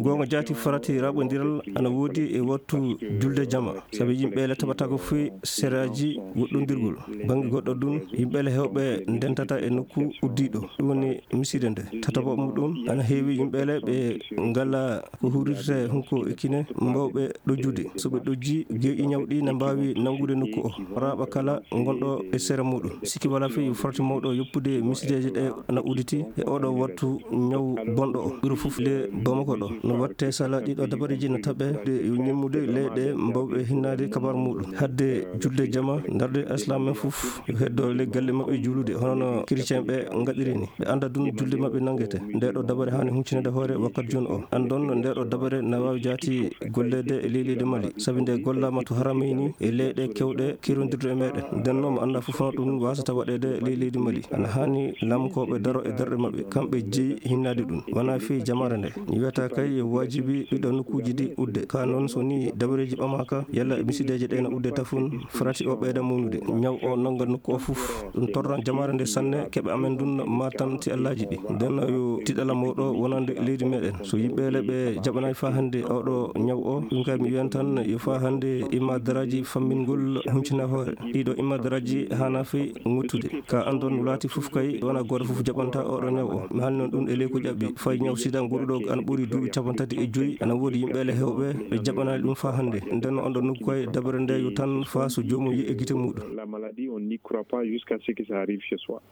gonga jaati farati raɓodiral ana woodi e wattu julde jama, sabi yimɓeele taɓata ko foyi seraji goɗɗodirgol bangi goɗɗo ɗum yimɓeele hewɓe ndentata e nokku uddiɗo. Ɗum woni miside nde. Tataɓo muɗum ana heewi yimɓeele ɓe ngala ko hurirte hunko e kine mbawɓe ɗojjude. So ɓe ɗojji geeƴi ñawɗi ne mbawi nangude nokku o raɓa kala gonɗo e sera muɗum. Sikki wala fi farti mawɗo yoppude misideje ɗe ana uditi e oɗo wattu ñaw bonɗo o ɓuri fof le Bamako ɗo. No watte sala ɗiɗo dabareji no taɓe yo ñemmude leyɗe mbawɓe hinnade kabaru muɗum. Hadde julde jama darde islam men fof yo heddo le galle maɓɓe juulude hono no chrétien ɓe gaɗiri ni. Ɓe anda ɗum julde maɓɓe nangete. Nde ɗo dabare hani huccinede hoore wakkati joni o. Andon nde ɗo dabare na wawi jaati gollede e leydi Mali, sabi nde gollama to haramayni e leyɗe kewɗe kirodirde e meɗen. Nden noon mo anda fof no ɗum wasata waɗede e leydi Mali. Ana hani lamkoɓe daro e darɗe maɓɓe, kamɓe jeeyi hinnade ɗum. Wona fi jamare nde wiyata kay yo wajibi ɗiɗo nokkuji ɗi udde. Ka noon so ni dabareji ɓamaka yalla misideje ɗe no udde tafun farati o ɓeyda mawnude ñaw o nanga nokku o fof. Ɗum torran jamare nde sanne keɓe amen ɗum matanti allaji ɗi. Nden yo tiɗala mawɗo wonande leydi meɗen. So yimɓeele ɓe jaɓanayi fa hande oɗo ñaw o, ɗum kay mi wiyan tan yo fa hande imadaraji fammingol huncina hoore. Ɗiɗo imadaraji hana fi ŋuttude. Ka andon wulati fof kay wona goto fof jaɓanta oɗo ñaw o. Mi haalni noon ɗum e ley ko ƴaɓɓi. Fayi ñaw sida goɗɗuɗo ana ɓuuri duuɓi 35 ana woodi yimɓeele hewɓe ɓe jaɓanali ɗum fa hande. Nden on ɗo nokku kay dabare nde yo tan fa so jomum yi e gite muɗum.